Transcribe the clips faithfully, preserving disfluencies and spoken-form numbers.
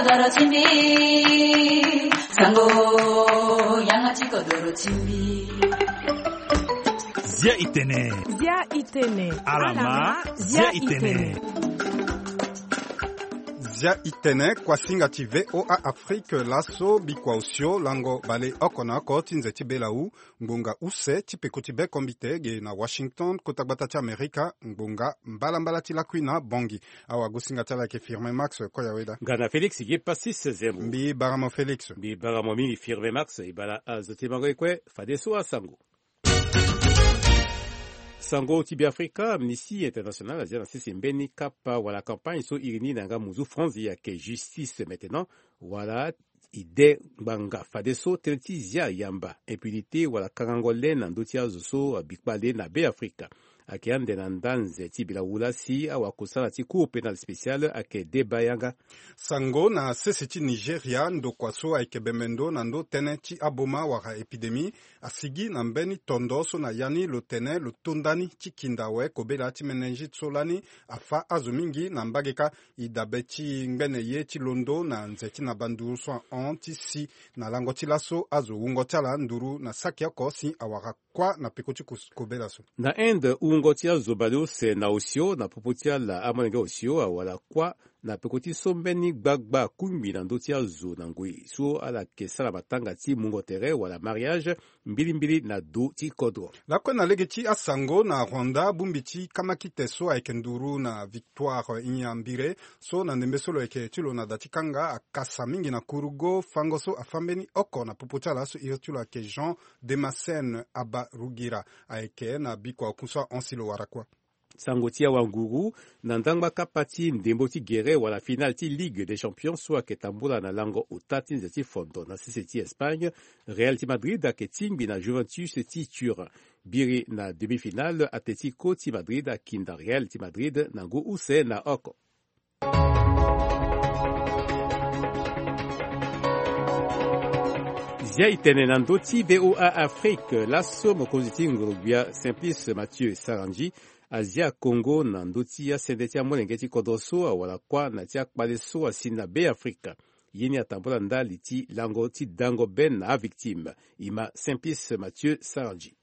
Kodoro ti mbi, sango, yanga ti kodoro ti mbi. Zia itene. Zia itene. Alama, zia itene. Zia itene, kuasinga ti V O A Afrique, laso bikua osio lango bale oko na oko ti nze ti belawu, ngbonga use ti peko ti bekombite ge na Washington, kota gbata ti Amerika, ngbonga mbalambala ti lakui na Bongi. Awagosinga ti ala ayeke Firmin Max Koyaweda. Nga na Félix Ge Passis Zembo. Mbi bara mo Félix. Mbi bara mo mingi Firmin Max, e bala azo ti mango e kue, fadeso asango. Sango ti Beafrika, Amnesty International azia na sese mbeni kapa wala campagne so iri ni na yanga muzu France, ayeke Justice Maintenant, wala i de ngbanga fadeso tënë ti zia yamba, impunité wala kangango le na ndö ti azo so abi kpale na Beafrika. Ayeke ande na nda nze ti bira wu la si awakosala ti Cour pénale spéciale ayeke deba yanga. Sango na sese ti Nigeria, ndokua so ayeke bembe ndo na ndö tënë ti aboma wala épidémie asigi na mbeni tondo so na ya ni lo tene lo to ndani ti kinda awe kobela ti méningite so lani afâ azo mingi na mbage kâ. E dabe ti ngbene ye ti londo na nze ti na banduru so ahon ti si na lango ti laso azo wungo ti ala nduru na saki oko si awara kuâ na peko ti kobela so. Na Inde, wungo ti azo baleuse na osio na popo ti ala amolenge osio awara kuâ na peko ti so mbeni gbagba akungbi na ndö ti azo na ngoi so ala yeke sara matanga ti mungo tere wala mariage mbilimbili na do ti kodro. Lakue na lege ti asango, na Rwanda, bongbi ti kamakite so ayeke nduru na Victoire Ingabire so na ndembe so lo yeke ti lo na da ti kanga akasa mingi na kurugo fango so afâ mbeni oko na popo ti ala so iri ti lo ayeke Jean Damascène Habarugira. Ayeke na bikua oku so ahon si lo wara kuâ. Sango ti awanguru, na ndangba kapa ti ndembo ti gere wala finale ti Ligue des Champions so ayeke tambula na lango ota ti nze ti fondo na sese ti Espagne, Real ti Madrid ayeke tingbi na Juventus ti Turin. Biri na demi-finale, Atlético ti Madrid akinda Real ti Madrid na ngu use na oko. Zia e tene na ndö ti V O A Afrique, laso mokonzi ti ngorogbia Simplice Mathieu Sarandji azia Congo na ndö ti asende ti amolenge ti kodro so awara kuâ na ti akpale so asi na Beafrika. Ye ni atambula ndali ti lango ti dango be na avictime. E ma Simplice Mathieu Sarandji.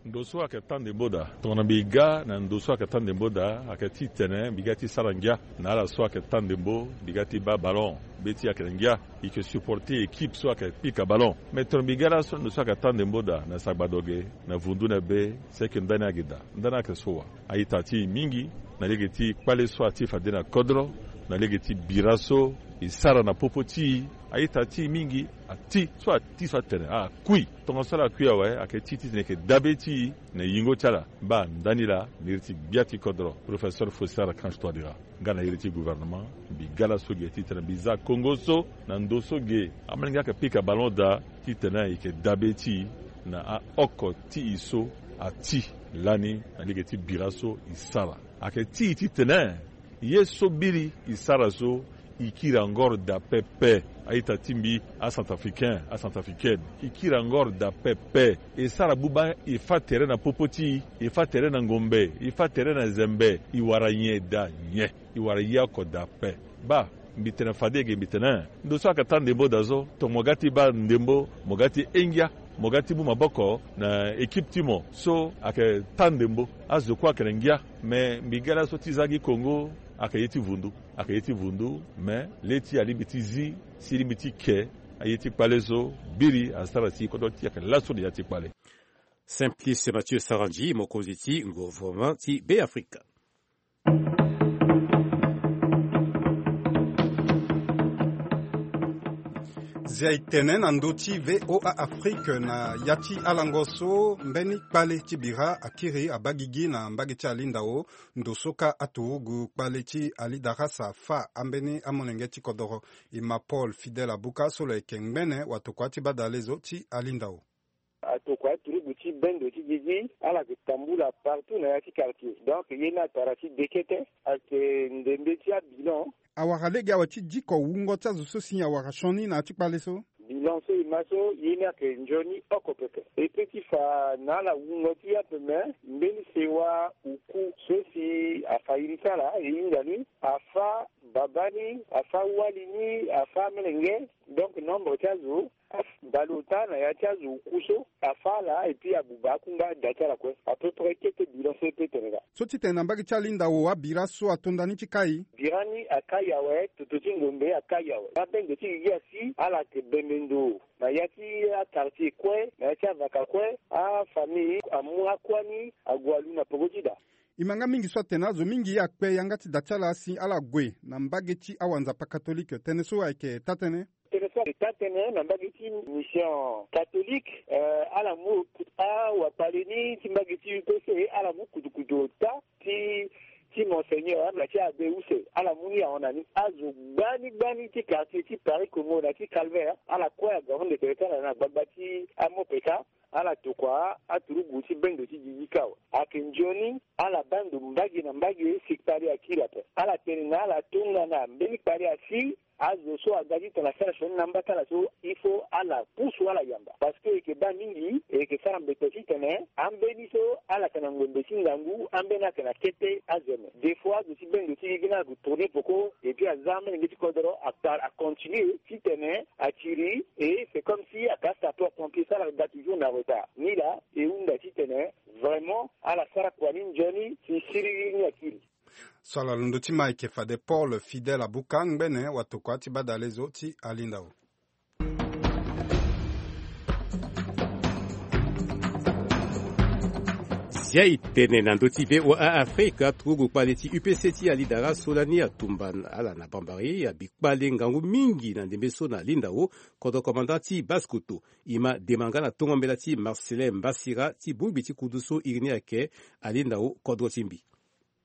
Ndo so ayeke tâ ndembo daa. Tongana mbi ga na ndo so ayeke tâ ndembo daa, ayeke ti tene mbi ga ti sara ngia na ala so ayeke tâ ndembo, mbi ga ti baa ballon, be ti ayeke na ngia. E yeke supporter équipe so ayeke pika ballon. Mais tongana mbi ga laso ndo so ayeke tâ ndembo daa na sagbado ge, na vundu na be, si ayeke ndani agi daa. Ndani ayeke so wa. A-ita ti e mingi na lege ti kpale so ati fade na kodro, na lege ti bira so e sara na popo ti e. A-ita ti e mingi, ati so ati so atene akui. Tongaso ala kui awe, ayeke ti titene e yeke dabe ti e na yingo ti ala. Baa ndani laa, na iri ti gbia ti kodro, Professeur Faustin Archange Touadéra, nga na iri ti gouvernement, mbi ga laso ge titene mbi za Congo so na ndo so ge amolenge ayeke pika ballon daa, titene e yeke dabe ti e na aoko ti e so ati lani na lege ti bira so e sara. Ayeke ti e titene ye so biri e sara so, e kiri angor daa pepe. A-ita ti mbi, acentrafricain, acentrafricaine, e kiri angor daa pepe. E sara buba, e fâ tere na popo ti e, e fâ tere na ngombe, e fâ tere na zembe, e wara nyen daa nyen? E wara ye oko daa pe. Baa, mbi tene fade ge mbi tene, ndo so ayeke tâ ndembo daa so, tongana mo ga ti baa ndembo, mo ga ti he ngia, mo ga ti mu maboko na équipe ti mo so ayeke tâ ndembo. Azo kue ayeke na ngia. Me mbi ga laso ti za gi Congo, ayeke ye ti vundu. Ayeke ye ti vundu, me le ti e alingbi ti zi, si e lingbi ti ke aye ti kpale so, biri asara si kodro ti e ayeke laso na ya ti kpale. Simplice Mathieu Sarandji, mokonzi ti gouvernement ti Beafrika. Zia e tene na ndö ti V O A Afrique na ya ti alango so, mbeni kpale ti bira akiri abaa gigi na mbage ti Alindao, ndo so kâ aturugu kpale ti Ali Darasa afâ ambeni amolenge ti kodoro. E ma Paul Fidèle Abuka so lo yeke ngbene watokua ti badalezo ti Alindao. Atokua aturugu ti bendo ti gigi, ala yeke tambula partout na ya ti quartier. Donc ye ni atara ti dekete, ayeke ndembe ti abilan. Awara lege awe ti diko wungo ti azo so si awara sioni na ya ti kpale so. Lancer e ma so ye ni ayeke nzoni oko pepe. E pe ti fa na ala wungo ti e ape me mbeni sewa oku so si afa iri ti ala e hinga ni, afa babâ ni, afa wali ni, afa amelenge. Donc nombre ti azo abale ota na ya ti azo oku so afa ala et puis abuba akungba da ti ala kue. À peu près kete bilan so e pe tene laa. So ti tene na mbage ti alindao abira so ato nda ni ti kai. Bira ni akai awe, toto ti ngombe akai awe. Abendo ti gigi asi ala yeke bembe ndo na ya ti aquartier kue, na ya ti avaka kue. Afamille amu akua ni ague alu na peko ti da. E ma nga mingi so atene azo mingi akpe yanga ti da ti ala si ala gue na mbage ti awanzapa katolike. Tënë so ayeke taa-tënë. Tënë so ayeke taa-tënë na mbage ti mission katolike. Ala mu awakpale ni ti mbage ti U P C, ala mu kutukutu ota ti ti monseigneur na ti abe use. Ala mu ni ahon na ni. Azo gbani gbani ti quartier ti Paris Congo na ti Calvaire ala kue aga hon ndeke ti ala na gbagba ti amopeka. Ala tokua aturugu ti bendo ti gigi kâ awe. Ayeke nzoni ala baa ndo mbage na mbage si kpale akiri ape. Ala tene na ala tongana mbeni kpale asi, azo so aga titene asara sioni na amba ti ala so, il faut ala pusu ala yamba. Parce que e yeke baa mingi, e yeke sara mbete titene ambeni so ala yeke na ngombe ti ngangu, ambeni ayeke na kete azeme. Des fois azo ti bendo ti gigi ni ala gue tourner peko, et puis aza amolenge ti kodro akpar acontinue titene atiri. Et c'est comme si aka sapeur pompier so ala ga toujours na retard. Ni laa e hunda titene vraiment ala sara kua ni nzoni si siriri ni akiri. So ala londo ti ma ayeke fade Paul Fidèle Abuka ngbene watokua ti badalezo ti alindao. Zia e tene na ndö ti V O A Afrika, aturugu kpale ti U P C ti alidara so lani atumba ala na Bambari abi kpale ngangu mingi na ndembe so na alindao. Kodro commandant ti Basse-Kotto, e ma dema nga na tongo mbela ti Marcelin Mbasira ti bongbi ti kudu so iri ni ayeke alindao kodro ti mbi.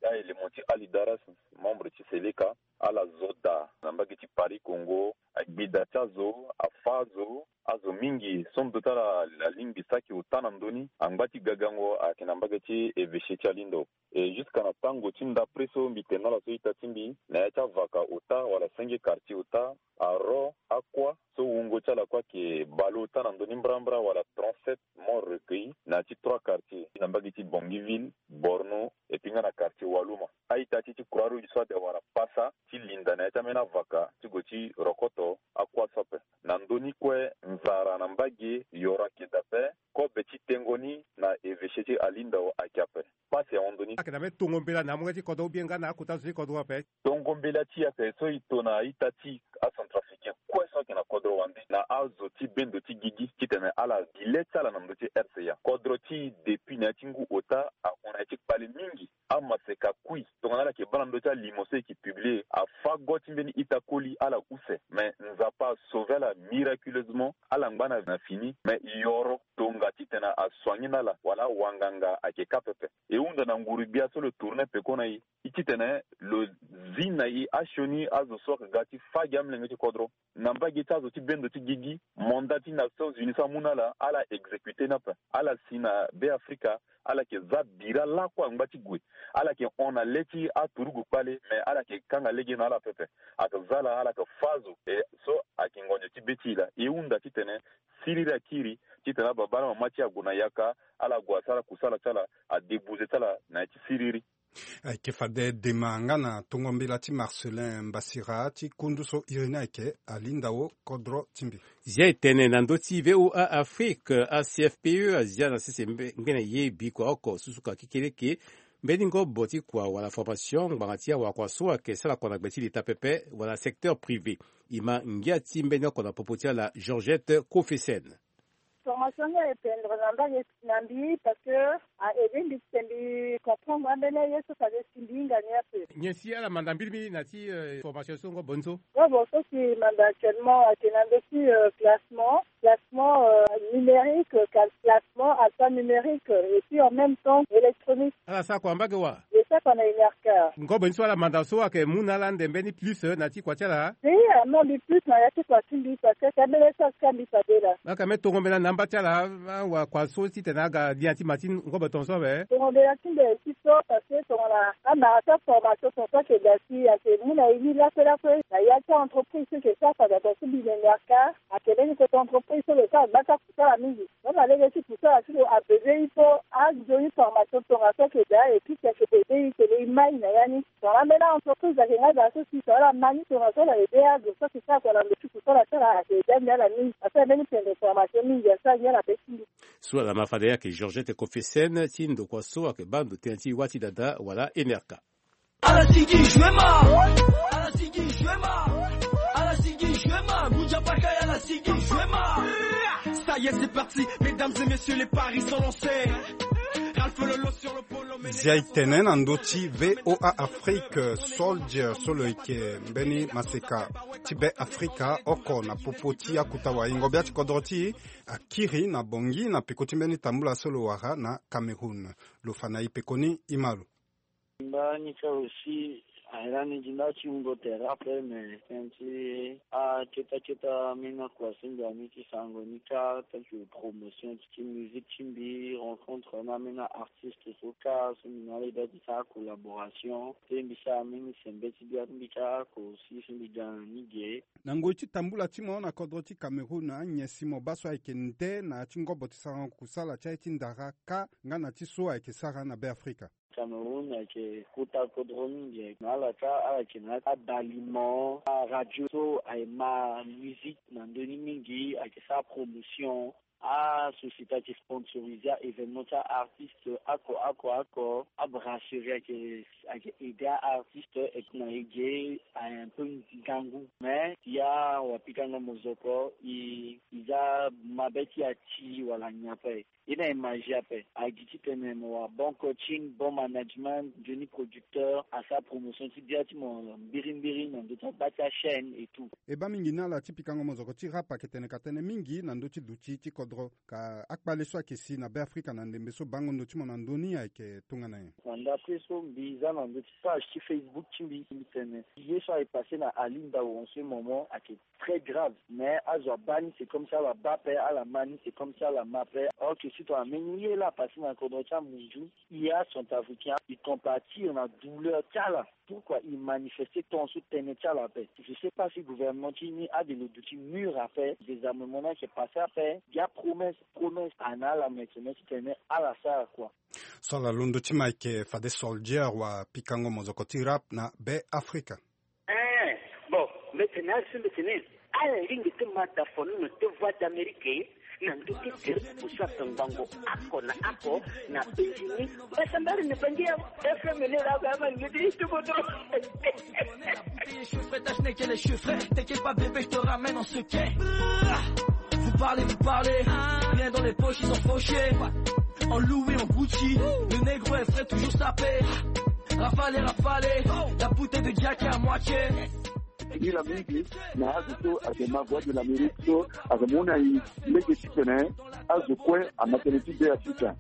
Ya elimo ti Ali Daras, membre ti Seleka, ala zo daa na mbage ti Paris Congo, agbi da ti azo, afa azo, azo mingi so ndö ti ala alingbi saki ota na ndö ni. Angba ti gagango ayeke na mbage ti evêché ti alindao. E jusqu'à na tango ti ndapre so mbi tene na ala so ita ti mbi, na ya ti avaka ota wala senge quartier ota, aro akua so wungo ti ala kue ayeke bale ota na ndö ni mbrambra wala trente-sept morts recueillis na ya ti trois quartiers, na mbage ti Bangui ville, Borno, et puis nga na quartier Waluma. A-ita ti ti Croix Rouge so ade awara pasa ti linda na ya ti ambeni avaka ti gue ti rokoto akua so ape. Na ndö ni kue nzara na mbage yoro ayeke daa ape. Kobe ti tengo ni na evêché ti alindao ayeke ape. Pasi ahon ndö ni. Ayeke na mbeni tongo mbela na amolenge ti kodro ou bien nga na akota zo ti kodro ape? Tongo mbela ti e ayeke so e to na a-ita ti acentrafricain kue so ayeke na kodro wande na azo ti bendo ti gigi titene ala gi le ti ala na ndö ti R C A. Kodro ti e depuis na ya ti ngu ota ahon na ya ti kpale mingi. Amaseka kui tongana ala yeke baa na ndö ti alimo so e yeke publie, afa go ti mbeni ita koli ala use. Me Nzapa asauve ala miraculeusement, ala ngba na fini. Me yoro tonga titene asoigner na ala wala awanganga ayeke kâ pepe. E hunda na nguru-gbia so lo tourner peko na e, e titene lo zi na e asioni azo so ayeke ga ti fâ gi amolenge ti kodro. Na mbage ti azo ti bendo ti gigi, mandat ti Nations Unies so amu na ala, ala exécuter ni ape. Ala si na Be Afrika, ala yeke za bira lakue angba ti gue. Ala yeke hon na le ti aturugu kpale, me ala yeke kanga lege na ala pepe. Ayeke za ala, ala yeke fâ azo. E so ayeke ngonzo ti be ti e laa. E hunda titene siriri akiri, titene ababâ na mama ti e ague na yaka, ala gue asara kusala ti ala, adébouser ti ala na ya ti siriri. Ayeke fade dema nga na tongo mbela ti Marcelin Mbasira ti kundu so iri ni ayeke alindao kodro ti mbi. Zia e tene na ndö ti V O A Afrique, A C F P E azia na sese mbe-, ngbene ye bikua oko susuka kekereke, mbeni ngobo ti kua wala formation ngbanga ti awakua so ayeke sara kua na gbe ti leta pepe wala secteur privé. E ma ngia ti mbeni oko na popo ti ala Georgette Kofesen. Formation ni a dépendre na mbage na mbi parce que a aider mbi titene mbi comprendre ambeni aye so fade si mbi hinga ni ape. Nyen si ala manda mbirimbiri na ti, euh, formation so ngobo ni so? Ngobo so si manda actuellement ayeke na ndö ti, euh, classement, classement, euh, Numérique, classement, alphanumérique, et puis en même temps électronique. Ala sara kua mbage wa? E sara kua na Enerca. Ngobo ni so ala manda so ayeke mu na ala ande mbeni plus na ya ti kua ti ala? Te, amu mbi plus na ya ti kua ti mbi parce que ambeni so asi ka mbi fade laa. Aka me tongo mbela na amba ti ala, awa kua so titene aga lia ti ma ti ngobo tongaso awe. Tongo mbela ti mbi aye ti so parce que tongana amara ti aformation tongaso ayeke daa si ayeke mu na e ni lakue lakue na ya ti a-entreprise so e yeke sara fade tongaso mbi na Enerca. Ayeke mbeni kota entreprise so lo sara gba ti akusala mingi. Même na lege ti kusala ti lo abebe e so anzoni formation tongaso ayeke daa et puis si ayeke bebe e tene e mai na ya ni. Tongana ambeni a-entreprise ayeke nga daa so si tongana ala ma ni tongaso ala ede azo so ayeke sara kua na ndo ti kusala ti ala ayeke ede ande ala mingi. Asara mbeni pendre formation mingi asara ni ala be ti mbi. So ala ma fade ayeke Georgette Kofesen ti ndokua so ayeke baa ndo tënë ti wâ ti dada wala Enerca. Ala sigi Juema. Ala sigi Juema. Ala sigi Juema. Muja Pakai, ala sigi Juema. Ça y est, c'est parti. Mesdames et messieurs, les paris sont lancés. Ralph Lolo sur le polo. Zia e tene na ndö ti V O A Afrique, Soldier so lo yeke mbeni maseka ti Be Afrika oko na popo ti akuta waingo bia ti kodro ti e akiri na Bangui na peko ti mbeni tambula so lo wara na Cameroun. Lo fa na e peko ni, e ma lo. Nda ni ka aussi aye lani gi nda ti wungo tere ape, mais tënë ti aketa keta ambeni akua si mbi na ni ti sarango ni ka, tel que promotion ti musique ti mbi, rencontre na ambeni artiste so ka so mbi na ala e bia ti sara collaboration, pe mbi sara ambeni sembe ti bia ti mbi ka oko aussi so mbi ga na ni ge. Na ngoi ti tambula ti mo na kodro ti Cameroun, anyen si mo baa so ayeke nde na ya ti ngobo ti sarango kusala ti aye ti ndara ka nga na ti so ayeke sara na Be Afrika? Cameroun ayeke kota kodro mingi, na ala ka ala yeke na abalimo, aradio so aye ma musique na ndö ni mingi, ayeke sara promotion. Asociété ayeke sponsoriser a-événement ti a-artiste oko oko oko. Abrasserie ayeke, ayeke aider a-artiste. Et na e ge aye un peu ngangu, mais ya wapikango mozoko, e, e za mabe ti ati wala nyen ape. E na e magie ape. Agi titene mo wara bon coaching, bon management, nzoni producteur, asara promotion ti bia ti mo mbirimbiri na ndö ti agba ti achaîne et tout. E baa mingi na ala ti pikango mozoko ti rap ayeke tene ka tënë mingi na ndö ti duti ti kodro, ka akpale so ayeke si na Be Afrika na ndembe so bango ndo ti mo na ndö ni ayeke tongana nyen? Na ndapre so mbi za na ndö ti page ti Facebook ti mbi, mbi tene ye so aye passe na Ali Ndao en ce moment ayeke très grave, mais azo abaa ni c'est comme si ala baa ape, ala ma ni c'est comme si ala ma ape. Or que si tongana mbeni ye laa apasse na kodro ti amunzu, e a-centrafricain, e compatir na douleur ti ala. Pourquoi e manifester tant so tënë ti ala ape? Je sais pas si gouvernement ti ni ade lo duti mûr ape, désarmement ni ayeke passe ape, bia promesse, promesse ana ala, mais tene titene ala sara kua. So ala londo ti ma ayeke fade Soldier wa pikango mozoko ti rap na Be Afrika. Eh, bon, mbi tene asi mbi tene ala lingbi ti ma da fo ni na te Voix d'Amérique na ndö ti tere ti kusala ngbongo oko na oko na Benjini. Basa mbari na bangi ya F M ni la ba ma ngedi ti bodo. Bouteille et cheveux frais, ta chenille qu'elle est cheveux frais. T'inquiète pas, bébé, je te ramène en secret. Vous parlez, vous parlez. Rien dans les poches, ils sont fauchés. En Louis, en Gucci. Le négro est frais, toujours sapé. Rafale, rafale. La bouteille de Jack est à moitié. Nila mingi na azo so ayeke ma Voix de l'Amérique so ayeke mu na e lege titene azo kue ama tënë ti Be Afrika.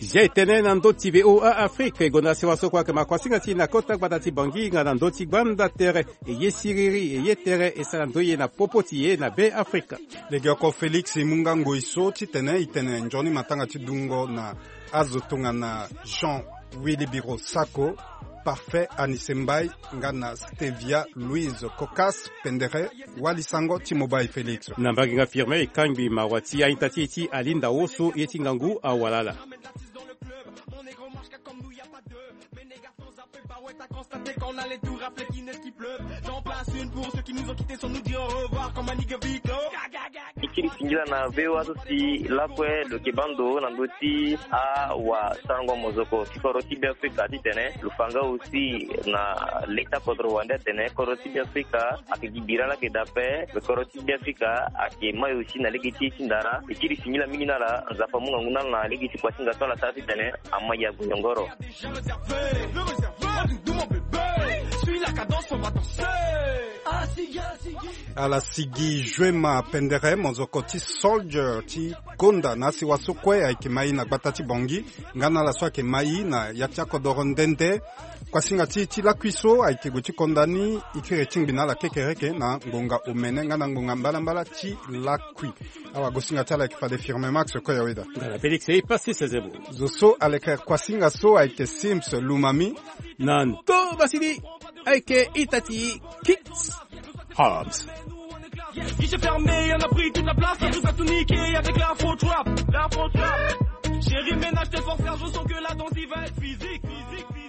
Zia e tene na ndö ti V O A Afrique, e gonda sewa so kue ayeke makuasinga ti e na kota gbata ti Bangui nga na ndö ti gbanda tere. E ye siriri, e ye tere, e sara ndoye na popo ti e na Be Afrika. Legeoko Félix e mu nga ngoi so titene e tene nzoni matanga ti dungo na azo tongana Jean Wilibiro Sako, Parfait Anise Mbaye nga na Stevia Louise Cocas Pendere. Wali sango ti mo baa e Félix. Na mbage nga Firmin e kangbi mawa ti a-ita ti e ti Ali Ndao so ye ti ngangu awalala. E kiri singila na V O A so si lakue lo yeke baa ndo na ndö ti awasarango mozoko ti kodro ti Be Afrika titene lo fa nga aussi na leta kodro wande atene kodro ti Be Afrika ayeke gi bira laa ayeke daa ape. Kodro ti Be Afrika ayeke mai aussi na lege ti e ti ndara. E kiri singila mingi na ala, Nzapa amu ngangu na ala na lege ti kuasinga so ala sara titene ama yago yongoro. Suis la cadence, on va danser. Ah, si, ah, si. Ala sigi Joema Pendere, mozoko ti Soldier ti Konda na asiwa so kue ayeke mai na gbata ti Bangui. Nga na ala so ayeke mai na ya ti akodoro ndende. Kuasinga ti, ti lakui so ayeke gue ti konda ni, e kiri ti ngbi na ala kekereke na ngonga omene nga na ngonga mbalambala ti lakui. Awa, gosinga ti ala ayeke fade Firme Max Koyaweda. Nga na Félix Ipasi Sezebo. Zo so aleke kuasinga so ayeke Sims Lumami. Na ndo basili ayeke ita ti Kits Hobbs. Guichet fermé, on a pris toute la place, on nous a tout niqué avec l'info trap, l'info trap. Chérie, ménage tes forces, car je sens que la danse, il va être physique, physique, physique.